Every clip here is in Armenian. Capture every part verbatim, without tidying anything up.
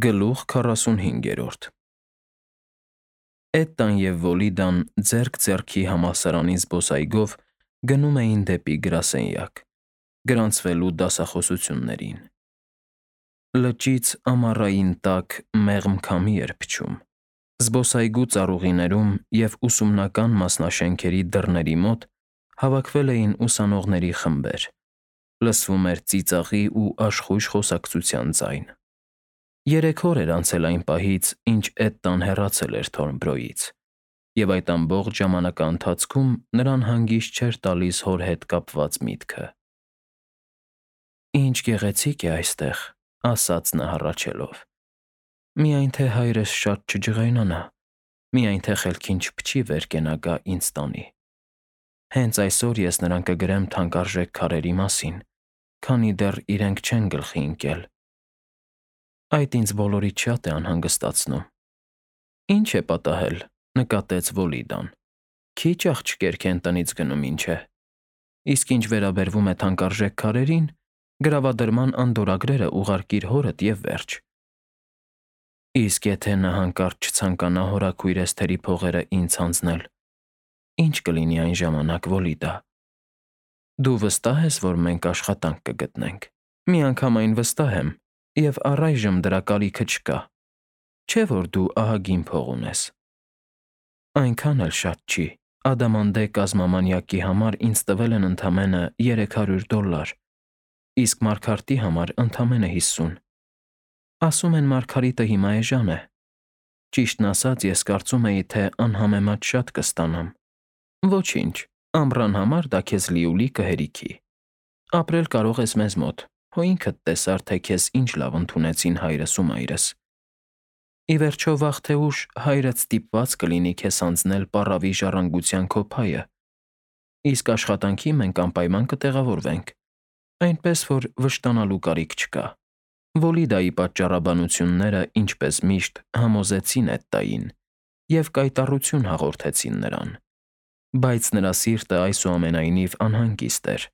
Գլուխ քառասունհինգերորդ Էտտան և Վոլիդան ձեռք ձեռքի համալսարանի զբոսայգով գնում էին դեպի գրասենյակ՝ գրանցվելու դասախոսություններին։ Լճից ամառային տաք, մեղմ քամի էր փչում։ Զբոսայգու ծառուղիներում և ուսումնական մասնաշենքերի դռների մոտ հավաքվել էին ուսանողների խմբեր, լսվում էր ծիծաղի ու աշխույժ խոսակցության ձայն։ Երեք օր էր անցել այն պահից, ինչ Էտտան հեռացել էր Թորնբրոյից, և այդ ամբողջ ժամանակաընթացքում նրան հանգիստ չէր տալիս հոր հետ կապված միտքը։ «Ինչ գեղեցիկ է այստեղ», ֊ ասաց նա հառաչելով։ «Միայն թե հայրս շատ չջղայնանա, միայն թե խելքին չփչի վեր կենա գա ինձ տանի։ Հենց այսօր ես նրան կգրեմ թանկարժեք քարերի մասին, քանի դեռ իրենք չեն գլխի ընկել։ Այդ ինձ բոլորից շատ է անհանգստացնում»։ «Ի՞նչ է պատահել», ֊ նկատեց Վոլիդան։ «Քիչ աղջիկներ քեն տնից գնում, ինչ է։ Իսկ ինչ վերաբերում է թանկարժեք քարերին, գրավադրման անդորրագրերը ուղարկիր հորդ և վերջ»։ «Իսկ եթե նա հանկարծ չցանկանա հորաքույր Էսթերի փողերը ինձ հանձնել, ի՞նչ կլինի այն ժամանակ, Վոլիդա։ Դու վստահ ես, որ մենք աշխատանք կգտնենք»։ «Միանգամայն վստահ եմ, և առայժմ դրա կարիքը չկա։ Չէ՞ որ դու ահագին փող ունես»։ «Այնքան էլ շատ չի. Ադամանդե կազմամանյակի համար ինձ տվել են ընդամենը երեք հարյուր դոլլար, իսկ Մարգարտի համար ընդամենը հիսուն։ Ասում են Մարգարիտը հիմա էժան է։ Ճիշտն ասած, ես կարծում էի, թե անհամեմատ շատ կստանամ։ Ոչինչ, ամռան համար դա քեզ լիուլի կհերիքի։ Ապրել կարող ես մեզ մոտ, հո ինքդ տեսար, թե քեզ ինչ լավ ընդունեցին հայրս ու մայրս։ Ի վերջո, վաղ թե ուշ հայրդ ստիպված կլինի քեզ հանձնել պառավի ժառանգության քո փայը, իսկ աշխատանքի մենք անպայման կտեղավորվենք, այնպես որ վշտանալու կարիք չկա»։ Վոլիդայի պատճառաբանությունները, ինչպես միշտ, համոզեցին Էտտային և կայտառություն հաղորդեցին նրան, բայց նրա սիրտը այսուամենայնիվ անհանգիստ էր։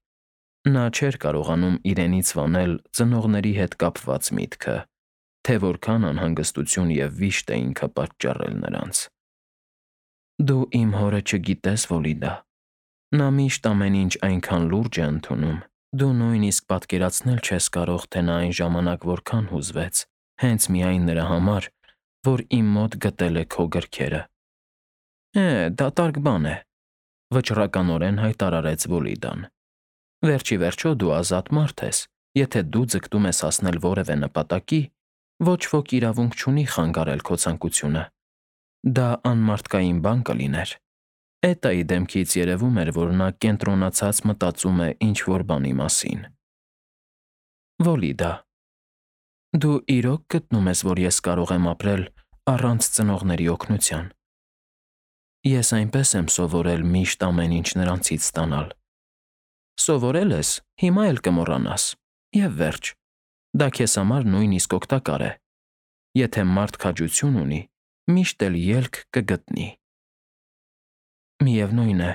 Նա չէր կարողանում իրենից վանել ծնողների հետ կապված միտքը, թե որքան անհանգստություն և վիշտ է ինքը պատճառել նրանց։ «Դու իմ հորը չգիտես, Վոլիդա։ Նա միշտ ամեն ինչ այնքան լուրջ է ընդունում, դու նույնիսկ պատկերացնել չես կարող, թե նա այն ժամանակ որքան հուզվեց, հենց միայն նրա համար, որ իմ մոտ գտել է քո գրքերը»։ «Է, դատարկ բան է», ֊ վճռականորեն հայտարարեց Վոլիդան։ «Վերջ ի վերջո դու ազատ մարդ ես, եթե դու ձգտում ես հասնել որևէ նպատակի, ոչ ոք իրավունք չունի խանգարել քո ցանկությունը։ Դա անմարդկային բան կլիներ»։ Էտտայի դեմքից երևում էր, որ նա կենտրոնացած մտածում է ինչ֊որ բանի մասին։ «Վոլիդա, դու իրո՞ք գտնում ես, որ ես կարող եմ ապրել առանց ծնողների օգնության։ Ես այնպես եմ սովորել միշտ ամեն ինչ նրանցից ստանալ։ Սովորել ես, հիմա էլ կմոռանաս, և վերջ։ Դա քեզ համար նույնիսկ օգտակար է։ Եթե մարդ քաջություն ունի, միշտ էլ ելք կգտնի»։ «Միևնույն է,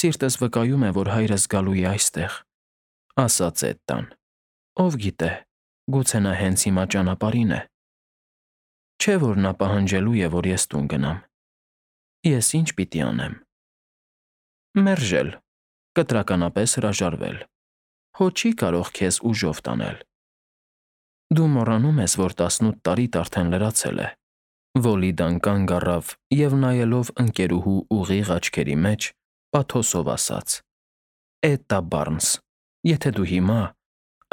սիրտս վկայում է, որ հայրս գալու է այստեղ», ֊ ասաց Էտտան։ «Ով գիտե, գուցե նա հենց հիմա ճանապարհին է։ Չէ՞ որ նա պահանջելու է, որ ես տուն գնամ։ Ես ի՞նչ պիտի անեմ։ Մերժել, կտրականապես հրաժարվել։ Հո չի կարող քեզ ուժով տանել։ Դու մոռանում ես, որ տասնութ տարիդ արդեն լրացել է»։ Վոլիդան կանգ առավ և, նայելով ընկերուհու ուղիղ աչքերի մեջ, պաթոսով ասաց. «Էտտա Բարնս, եթե դու հիմա,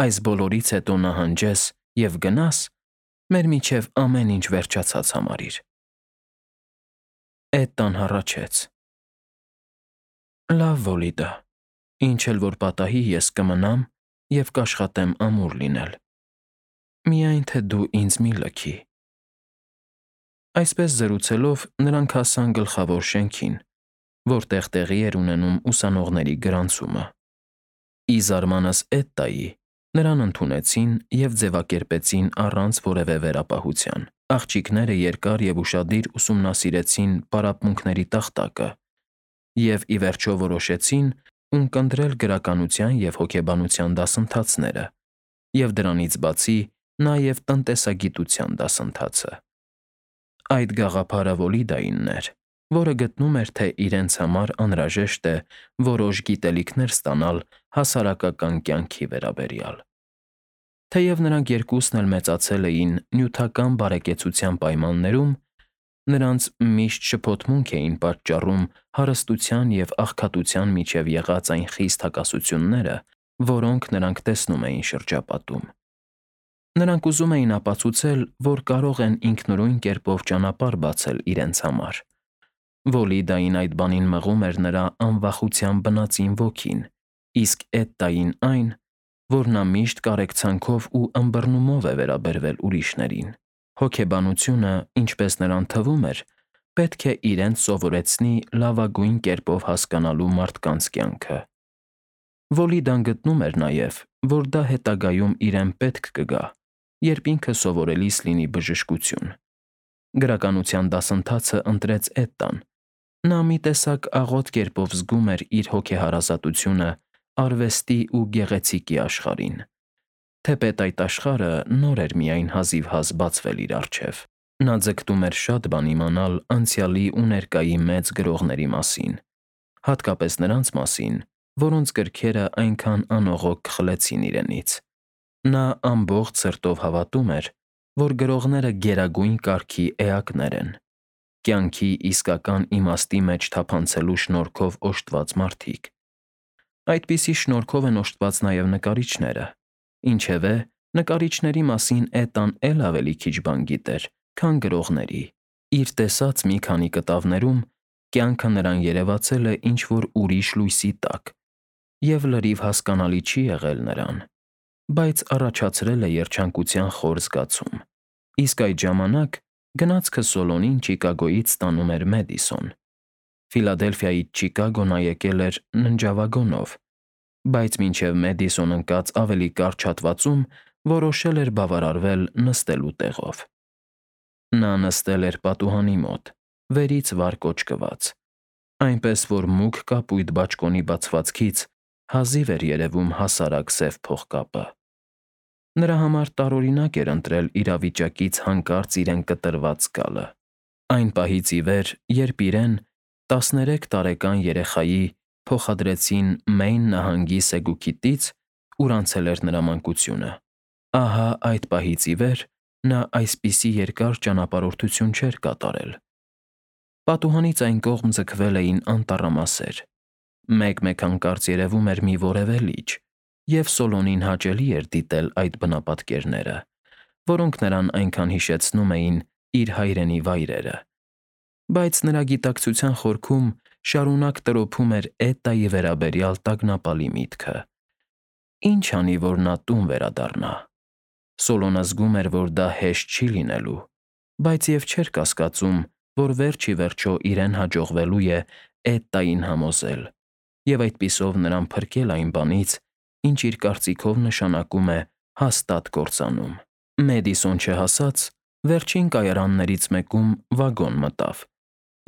այս բոլորից հետո նահանջես և գնաս, մեր միջև ամեն ինչ վերջացած համարիր»։ Էտտան հառաչեց. «Լավ, Վոլիդա, ինչ էլ որ պատահի, ես կմնամ և կաշխատեմ ամուր լինել։ Միայն թե դու ինձ մի լքի»։ Այսպես զրուցելով՝ նրանք հասան գլխավոր շենքին, որտեղ տեղի էր ունենում ուսանողների գրանցումը։ Ի զարմանս Էտտայի, նրան ընդունեցին և ձևակերպեցին առանց որևէ վերապահության։ Աղջիկները երկար և ուշադիր ուսումնասիրեցին պարապմունքների տախտակը և ի վերջո որոշեցին ունկնդրել գրականության և հոգեբանության դասընթացները և, դրանից բացի, նաև տնտեսագիտության դասընթացը։ Այդ գաղափարը Վոլիդայինն էր, որը գտնում էր, թե իրենց համար անհրաժեշտ է որոշ գիտելիքներ ստանալ հասարակական կյանքի վերաբերյալ։ Թեև նրանք երկուսն էլ մեծացել էին նյութական բարեկեցության պայմաններում, նրանց միշտ շփոթմունք էին պատճառում հարստության և աղքատության միջև եղած այն խիստ հակասությունները, որոնք նրանք տեսնում էին շրջապատում։ Նրանք ուզում էին ապացուցել, որ կարող են ինքնուրույն կերպով ճանապարհ բացել իրենց համար։ Վոլիդային այդ բանին մղում էր նրա անվախության բնածին ոգին, իսկ Էդդային այն, որ նա միշտ կարեկցանքով ու ըմբռնումով է վերաբերվել ուրիշներին։ Հոգեբանությունը, ինչպես նրան թվում էր, պետք է իրենց սովորեցնի լավագույն կերպով հասկանալու մարդկանց կյանքը։ Վոլիդան գտնում էր նաև, որ դա հետագայում իրեն պետք կգա, երբ ինքը սովորելիս լինի բժշկություն։ Գրականության դասընթացը ընտրեց Էդդան։ Նա մի տեսակ աղոտ կերպով զգում էր իր հոգեհարազատությունը արվեստի ու գեղեցիկի աշխարհին, թեպետ այդ աշխարհը նոր էր միայն հազիվհազ բացվել իր առջև։ Նա ձգտում էր շատ բան իմանալ անցյալի ու ներկայի մեծ գրողների մասին, հատկապես նրանց մասին, որոնց գրքերը այնքան անողոք քխլեցին իրենից։ Նա ամբողջ սրտով հավատում էր, որ գրողները գերագույն կարգի էակներ են, կյանքի իսկական իմաստի մեջ թափանցելու շնորհքով օժտված մարդիկ։ Այդպիսի շնորհքով են օժտված նաև նկարիչները, ինչևէ, նկարիչների մասին Էդդան էլ ավելի քիչ բան գիտեր, քան գրողների։ Իր տեսած մի քանի կտավներում կյանքը նրան երևացել է ինչ-որ ուրիշ լույսի տակ, և լրիվ հասկանալի չի եղել նրան, բայց առաջացրել է երջանկության խոր զգացում։ Իսկ այդ ժամանակ գնացքը Սոլոնին Չիկագոյից ստանում էր Մեդիսոն։ Ֆիլադելֆիայից Չիկագո նա եկել էր ննջավագոնով, բայց մինչև Մեդիսոն ընկած ավելի կարճ հատվածում որոշել էր բավարարվել նստելու տեղով։ Նա նստել էր պատուհանի մոտ, վերից վար կոճկված, այնպես որ մուգ կապույտ բաճկոնի բացվածքից հազիվ էր երևում հասարակ սև փողկապը։ Նրա համար տարօրինակ էր ընտրել իրավիճակից հանկարծ իրեն կտրված զգալը։ Այն պահից ի վեր, երբ իրեն, տասներեք տարեկան երեխայի, փոխադրեցին Մեյն նահանգի Սեգուքիտից, ուր անցել էր նրա մանկությունը, ահա այդ պահից ի վեր նա այսպիսի երկար ճանապարհորդություն չէր կատարել։ Պատուհանից այն կողմ ձգվել էին անտառամասեր։ Մեկ-մեկ հանկարծ երևում էր մի որևէ լիճ, և Սոլոնին հաճելի էր դիտել այդ բնապատկերները, որոնք նրան այնքան հիշեցնում էին իր հայրենի վայրերը։ Բայց նրա գիտակցության խորքում շարունակ տրոփում էր Էդդայի վերաբերյալ տագնապալի միտքը. ինչ անի, որ նա տուն վերադառնա։ Սոլոնը զգում էր, որ դա հեշտ չի լինելու, բայց և չէր կասկածում, որ վերջ ի վերջո իրեն հաջողվելու է Էդդային համոզել և այդպիսով նրան փրկել այն բանից, ինչ իր կարծիքով նշանակում է հաստատ կործանում։ Մեդիսոն չհասած, վերջին կայարաններից մեկում վագոն մտավ,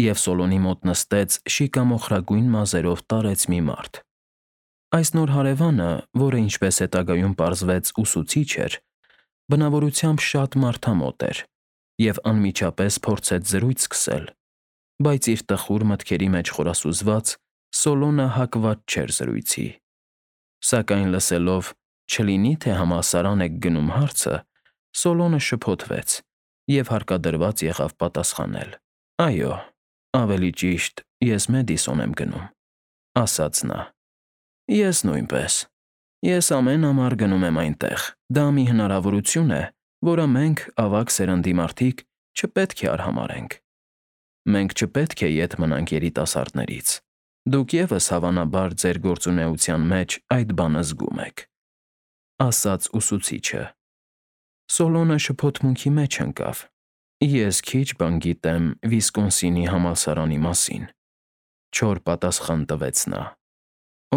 և Սոլոնի մոտ նստեց շիկամոխրագույն մազերով տարեց մի մարդ։ Այս նոր հարևանը, որը, ինչպես հետագայում պարզվեց, ուսուցիչ էր, բնավորությամբ շատ մարդամոտ էր և անմիջապես փորձեց զրույց սկսել, բայց իր տխուր մտքերի մեջ խորասուզված, Սոլոնը հակված չէր զրույցի։ Սակայն լսելով «չլինի՞ թե համալսարան եք գնում» հարցը, Սոլոնը շփոթվեց և հարկադրված եղավ պատասխանել. «Այո, ավելի ճիշտ, ես Մեդիսոն եմ գնում», ֊ ասաց նա։ «Ես նույնպես։ Ես ամեն ամառ գնում եմ այնտեղ։ Դա մի հնարավորություն է, որը մենք, ավագ սերնդի մարդիկ, չպետք է արհամարհենք։ Մենք չպետք է ետ մնանք երիտասարդներից։ Դուք ևս, հավանաբար, ձեր գործունեության մեջ այդ բանը զգում եք», ֊ ասաց ուսուցիչը։ Սոլոնը շփոթմունքի մեջ ընկավ։ «Ես քիչ բան գիտեմ Վիսկոնսինի համալսարանի մասին», ֊ չոր պատասխան տվեց նա։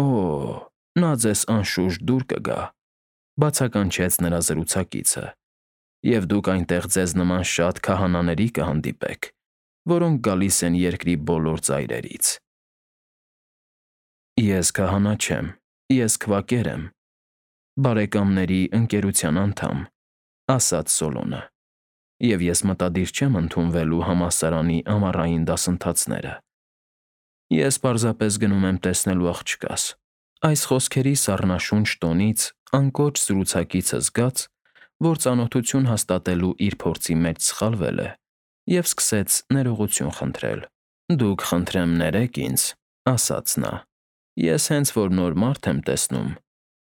«Օ, նա ձեզ անշուշտ դուր կգա», ֊ բացականչեց նրա զրուցակիցը, «և դուք այնտեղ ձեզ նման շատ քահանաների կհանդիպեք, որոնք գալիս են երկրի բոլոր ծայրերից»։ «Ես քահանա չեմ, ես քվակեր եմ, բարեկամների ընկերության անդամ», ասաց Սոլոնը, և ես մտադիր չեմ ընդունվելու համալսարանի ամառային դասընթացները։ Ես պարզապես գնում եմ տեսնելու աղջկաս։ Այս խոսքերի սառնաշունչ տոնից անկոչ զրուցակիցը զգաց, որ ծանոթություն հաստատելու իր փորձի մեջ սխալվել է, և սկսեց ներողություն խնդրել։ Դուք, խնդրեմ, ներեք ինձ, ասաց նա։ Ես հենց որ նոր մարդ եմ տեսնում,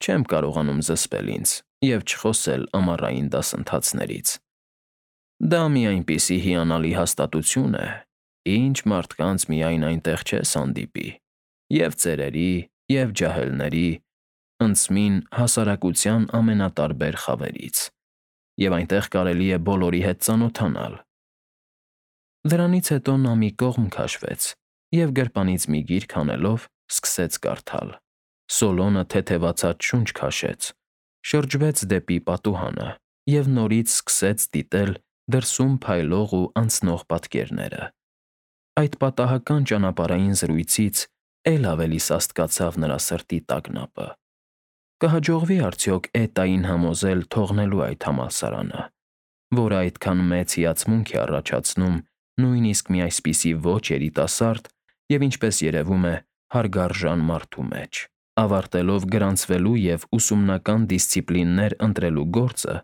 չեմ կարողանում զսպել ինձ և չխոսել ամառային դասընթացներից։ Դա մի այնպիսի հիանալի հաստատություն է, ինչ մարդկանց միայն այնտեղ չես հանդիպի, և ծերերի, և ջահելների, ընդսմին հասարակության ամենատարբեր խավերից, և այնտեղ կարելի է բոլորի հետ ծանոթանալ։ Դրանից հետո նա մի կողմ քաշվեց և գրպանից մի գիրք հանելով սկսեց կարդալ։ Սոլոնը թեթևացած շունչ քաշեց, շրջվեց դեպի պատուհանը և նորից սկսեց դիտել դրսում փայլող ու անցնող պատկերները։ Այդ պատահական ճանապարհային զրույցից էլ ավելի սաստկացավ նրա սրտի տագնապը։ Կհաջողվի՞ արդյոք Էտային համոզել թողնելու այդ համալսարանը, որը այդքան մեծ հիացմունք է առաջացնում նույնիսկ մի այսպիսի ոչ երիտասարդ և, ինչպես երևում է, հարգարժան մարդու մեջ։ Ավարտելով գրանցվելու և ուսումնական դիսցիպլիններ ընտրելու գործը,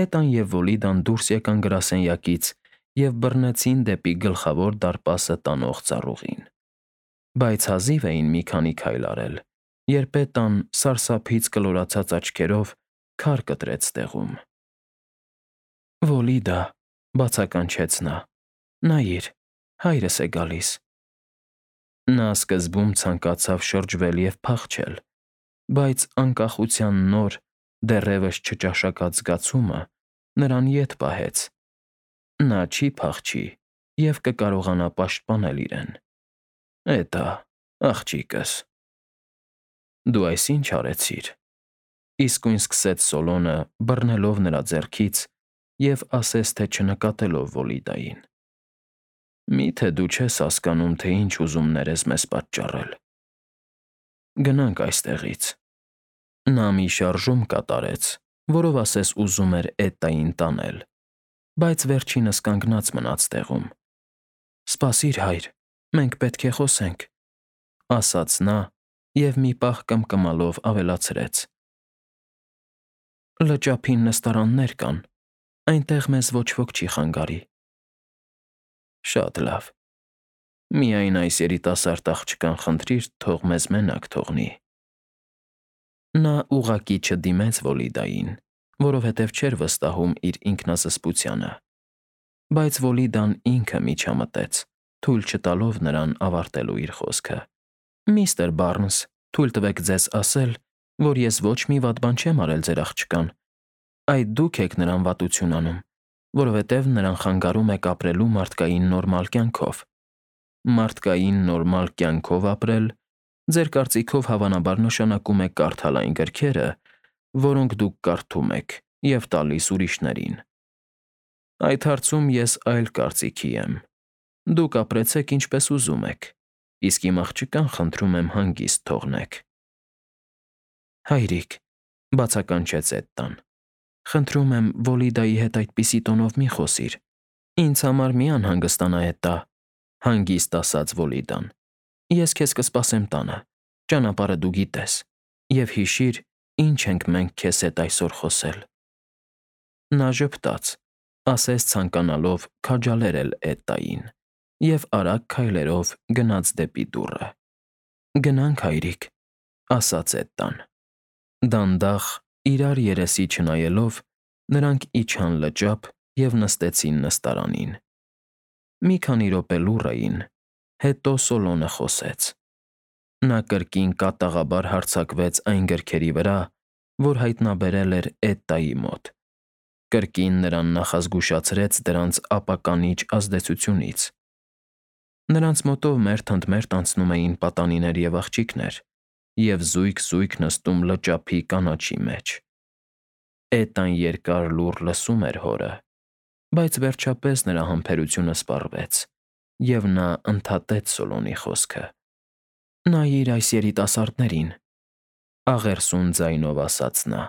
Էտան և Վոլիդան դուրս եկան գրասենյակից և բռնեցին դեպի Գլխավոր դարպասը տանող ծառուղին։ Բայց հազիվ էին մի քանի քայլ արել, երբ Էտան սարսափից կլորացած աչքերով քար կտրեց տեղում։ «Վոլիդա», բացականչեց նա, «նայիր, հայրս է գալիս»։ Նա սկզբում ցանկացավ շրջվել և փախչել, բայց անկախության նոր, դեռևս չճաշակած զգացումը նրան ետ պահեց։ Նա չի փախչի և կկարողանա պաշտպանել իրեն։ Էտա, աղջիկս։ Դու այս ի՞նչ արեցիր,֊ իսկույն սկսեց Սոլոնը, բռնելով նրա ձեռքից և ասես թե չնկատելով Վոլիդային։ Մի՞թե դու չես հասկանում, թե ինչ ուզումներ ես մեզ պատճառել։ Գնանք այստեղից։ Նա մի շարժում կատարեց, որով ասես ուզում էր Էտային տանել, բայց վերջինս կանգնած մնաց տեղում։ Սպասիր, հայր, մենք պետք է խոսենք,֊ ասաց նա և մի պահ կմկմալով ավելացրեց. Լճափին նստարաններ կան, այնտեղ մեզ ոչ ոք չի խանգարի։ Շատ լավ։ Միայն այս երիտասարդ աղջկան խնդրիր թող մեզ մենակ թողնի։ Նա ուղղակի չդիմեց Վոլիդային, որովհետև չէր վստահում իր ինքնազսպությանը, բայց Վոլիդան ինքը միջամտեց, թույլ չտալով նրան ավարտելու իր խոսքը։ Միստր Բարնս, թույլ տվեք ձեզ ասել, որ ես ոչ մի վատ բան չեմ արել ձեր աղջկան, այդ դուք եք նրան վատություն անում, որովհետև նրան խանգարում եք ապրելու մարդկային նորմալ կյանքով։ Մարդկային նորմալ կյանքով ապրել, ձեր կարծիքով հավանաբար նշանակում է կարդալ այն գրքերը, որոնք դուք կարդում եք, և տալիս ուրիշներին։ Այդ հարցում ես այլ կարծիքի եմ։ Դուք ապրեցեք ինչպես ուզում եք, իսկ իմ աղջկան խնդրում եմ հանգիստ թողնեք։ Հայրիկ,֊ բացականչեց Էտտան, խնդրում եմ Վոլիդայի հետ այդպիսի տոնով մի խոսիր։ Ինձ համար մի անհանգստանա, Էտտա,֊ հանգիստ ասաց Վոլիդան։ Ես քեզ կսպասեմ տանը, ճանապարհը դու գիտես, և հիշիր, ինչ ենք մենք քեզ հետ այսօր խոսել։ Նա ժպտաց, ասես ցանկանալով քաջալերել Էտտային, և արագ քայլերով գնաց դեպի դուռը։ Գնանք, հայրիկ,֊ ասաց Էտտան։ Դանդաղ, իրար երեսի չնայելով, նրանք իջան լճափ և նստեցին նստարանին։ Մի քանի րոպե լուռ էին, հետո Սոլոնը խոսեց։ Նա կրկին կատաղաբար հարձակվեց այն գրքերի վրա, որ հայտնաբերել էր Էտտայի մոտ, կրկին նրան նախազգուշացրեց դրանց ապականիչ ազդեցությունից։ Նրանց մոտով մերթ ընդ մերթ անցնում էին պատանիներ և աղջիկներ և զույգ֊զույգ նստում լճափի կանաչի մեջ։ Էտան երկար լուռ լսում էր հորը, բայց վերջապես նրա համբերությունը սպառվեց, և նա ընդհատեց Սոլոնի խոսքը։ Նայիր այս երիտասարդներին,֊ աղերսուն ձայնով ասաց նա։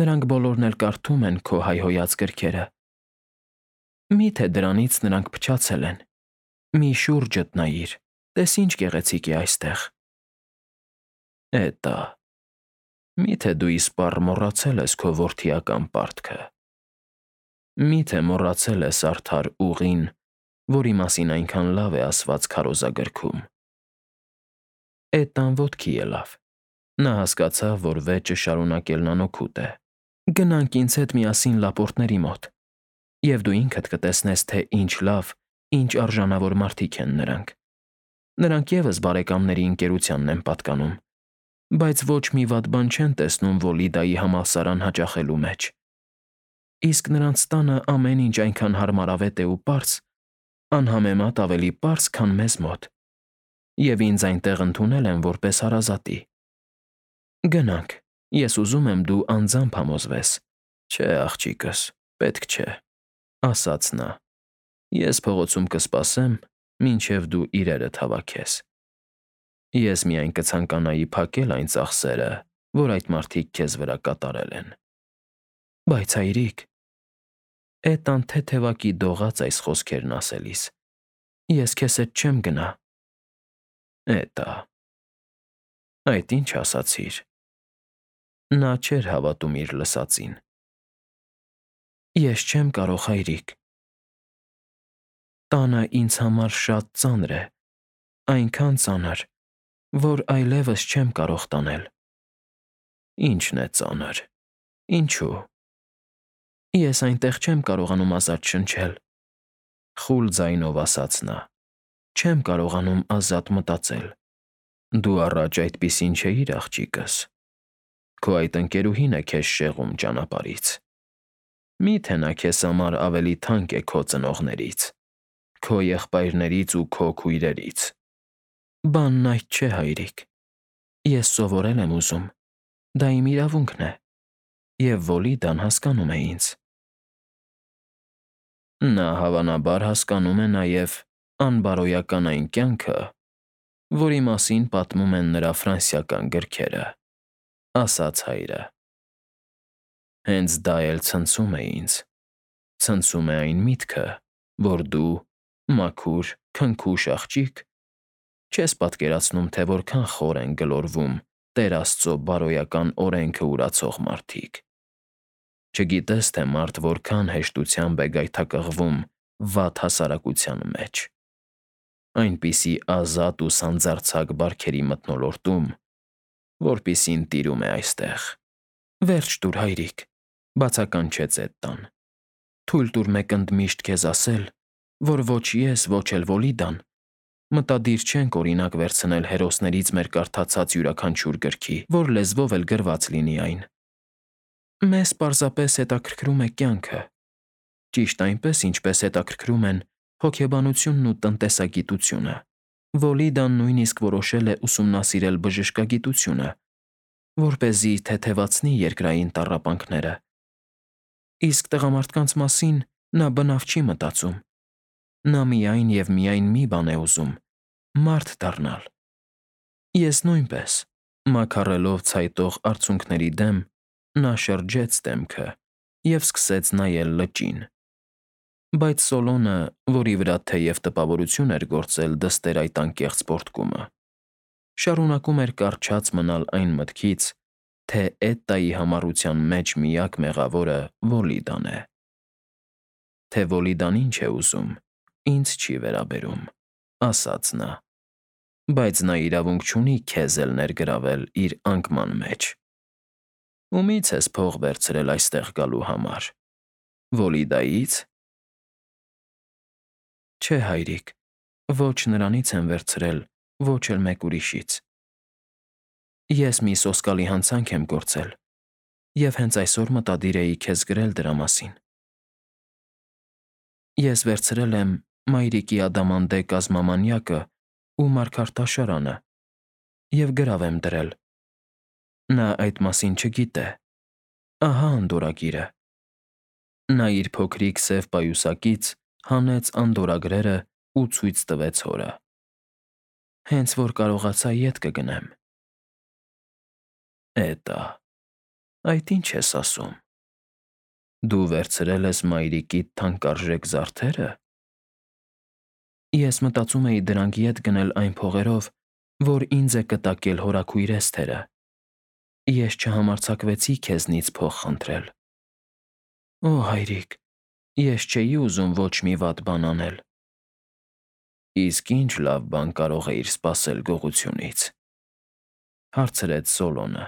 Նրանք բոլորն էլ կարդում են քո հայհոյած գրքերը։ Մի՞թե դրանից նրանք փչացել են։ Մի շուրջդ նայիր, տես ինչ գեղեցիկ է այստեղ։ Էտա, մի՞թե դու իսպառ մոռացել ես քո որդիական պարտքը։ Մի՞թե մոռացել ես արդար ուղին, որի մասին այնքան լավ է ասված քարոզագրքում։ Էտան ոտքի ելավ։ Նա հասկացավ, որ վեճը շարունակելն անօգուտ է։ Գնանք ինձ հետ միասին լապորտների մոտ, և դու ինքդ կտեսնես, թե ինչ լավ, ինչ արժանավոր մարդիկ են նրանք։ Նրանք ևս բարեկամների ընկերությանն են պատկանում, բայց ոչ մի վատ բան չեն տեսնում Վոլիդայի համալսարան հաճախելու մեջ։ Իսկ նրանց տանը ամեն ինչ այնքան հարմարավետ է ու պարզ, անհամեմատ ավելի պարզ, քան մեզ մոտ, և ինձ այնտեղ ընդունել են որպես հարազատի։ Գնանք, ես ուզում եմ դու անձամբ համոզվես։ Չէ, աղջիկս, պետք չէ, ասաց նա։ Ես փողոցում կսպասեմ, մինչև դու իրերդ հավաքես։ Ես միայն կցանկանայի փակել այն ծախսերը, որ այդ մարդիկ քեզ վրա կատարել են։ Բայց հայրիկ… Էտան թեթևակի դողաց այս խոսքերն ասելիս։ Ես քեզ հետ չեմ գնա։ Էտա… Այդ ինչ ասացիր։ Նա չէր հավատում իր լսածին։ Ես չեմ կարող, հայրիկ։ Տանը ինձ համար շատ ծանր է, այնքան ծանր, որ այլևս չեմ կարող տանել։ Ի՞նչն է ծանր, ինչու։ Ես այնտեղ չեմ կարողանում ազատ շնչել, խուլ ձայնով ասաց նա։ Չեմ կարողանում ազատ մտածել։ Դու առաջ այդպիսին չէիր, աղջիկս։ Քո այդ ընկերուհին է քեզ շեղում ճանապարհից։ Մի՞թե նա քեզ համար ավելի թանկ է քո ծնողներից, քո եղբայրներից ու քո քույրերից։ Բանն այդ չէ, հայրիկ։ Ես սովորել եմ ուզում, դա իմ իրավունքն է, և Վոլիդան հասկանում է ինձ։ Նա հավանաբար հասկանում է նաև անբարոյական այն կյանքը, որի մասին պատմում են նրա ֆրանսիական գրքերը, ասաց հայրը։ Հենց դա էլ ցնցում է ինձ, ցնցում է այն միտքը, որ դու, մաքուր, քնքուշ աղջիկ, չես պատկերացնում, թե որքան խոր են գլորվում Տեր Աստծո բարոյական օրենքը ուրացող մարդիկ։ Չգիտես, թե մարդ որքան հեշտությամբ է գայթակղվում վատ հասարակության մեջ, այնպիսի ազատ ու սանձարձակ բարքերի մթնոլորտում, որպիսին տիրում է այստեղ։ Վերջ տուր, հայրիկ, բացականչեց Էտտան։ Թույլ տուր մեկ ընդմիշտ քեզ ասել, որ ոչ ես, ոչ էլ Վոլիդան մտադիր չենք օրինակ վերցնել հերոսներից մեր կարդացած յուրաքանչյուր գրքի, որ լեզվով էլ գրված լինի այն։ Մեզ պարզապես հետաքրքրում է կյանքը, ճիշտ այնպես, ինչպես հետաքրքրում են հոգեբանությունն ու տնտեսագիտությունը։ Վոլիդան նույնիսկ որոշել է ուսումնասիրել բժշկագիտությունը, որպեսզի թեթևացնի երկրային տառապանքները։ Իսկ տղամարդկանց մասին նա բնավ չի մտածում։ Նա միայն և միայն մի բան է ուզում՝ մարդ դառնալ։ Ես նույնպես, մաքարելով ցայտող արցունքների դեմ, նա շրջեց դեմքը և սկսեց նայել լճին։ Բայց Սոլոնը, որի վրա թեև տպավորություն էր գործել դստեր այդ անկեղծ պոռթկումը, շարունակում էր կառչած մնալ այն մտքից, թե Էտտայի համառության մեջ միակ մեղավորը Վոլիդան է։ Թե Վոլիդան ինչ է ուզում, ինձ չի վերաբերում, ասաց նա, բայց նա իրավունք չունի քեզ էլ ներգրավել իր անկման մեջ։ Ումի՞ց ես փող վերցրել այստեղ գալու համար, Վոլիդայի՞ց։ Չէ, հայրիկ, ոչ նրանից եմ վերցրել, ոչ էլ մեկ ուրիշից։ Ես մի սոսկալի հանցանք եմ գործել և հենց այսօր մտադիր էի քեզ գրել դրա մասին։ Ես վերցրել եմ մայրիկի ադամանդե կազմամանյակը ու մարգարտաշարանը և գրավ եմ դրել։ Նա այդ մասին չգիտե։ Ահա անդորրագիրը։ Նա իր փոքրիկ սև պայուսակից հանեց անդորրագրերը ու ցույց տվեց հորը։ Հենց որ կարողացա, ետ կգնեմ։ Էտա, Այդ ինչ ես ասում։ Դու վերցրել ես մայրիկիդ թանկարժեք զարդերը։ Ես մտածում էի դրանք ետ գնել այն փողերով, որ ինձ է կտակել հորաքույր Էսթերը։ Ես չհամարձակվեցի քեզնից փող խնդրել։ Օ, հայրիկ, ես չէի ուզում ոչ մի վատ բան անել։ Իսկ ինչ լավ բան կարող էիր սպասել գողությունից, հարցրեց Սոլոմոնը,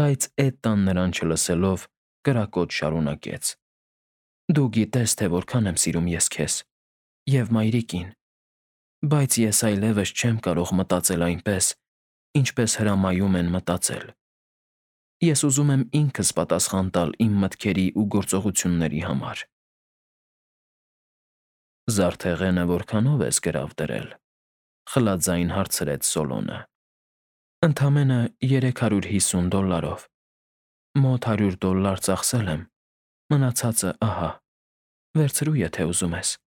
բայց Էտան նրան չլսելով կրակոտ շարունակեց. Դու գիտես, թե որքան եմ սիրում ես քեզ և մայրիկին, բայց ես այլևս չեմ կարող մտածել այնպես, ինչպես հրամայում են մտածել։ Ես ուզում եմ ինքս պատասխան տալ իմ մտքերի ու գործողությունների համար։ Զարդեղենը որքանո՞վ ես գրավ դրել, խլաձայն հարցրեց Սոլոմոնը։ Ընդամենը երեք հարյուր հիսուն դոլարով։ Մոտ հարյուր դոլար ծախսել եմ, մնացածը ահա, վերցրու, եթե ուզում ես։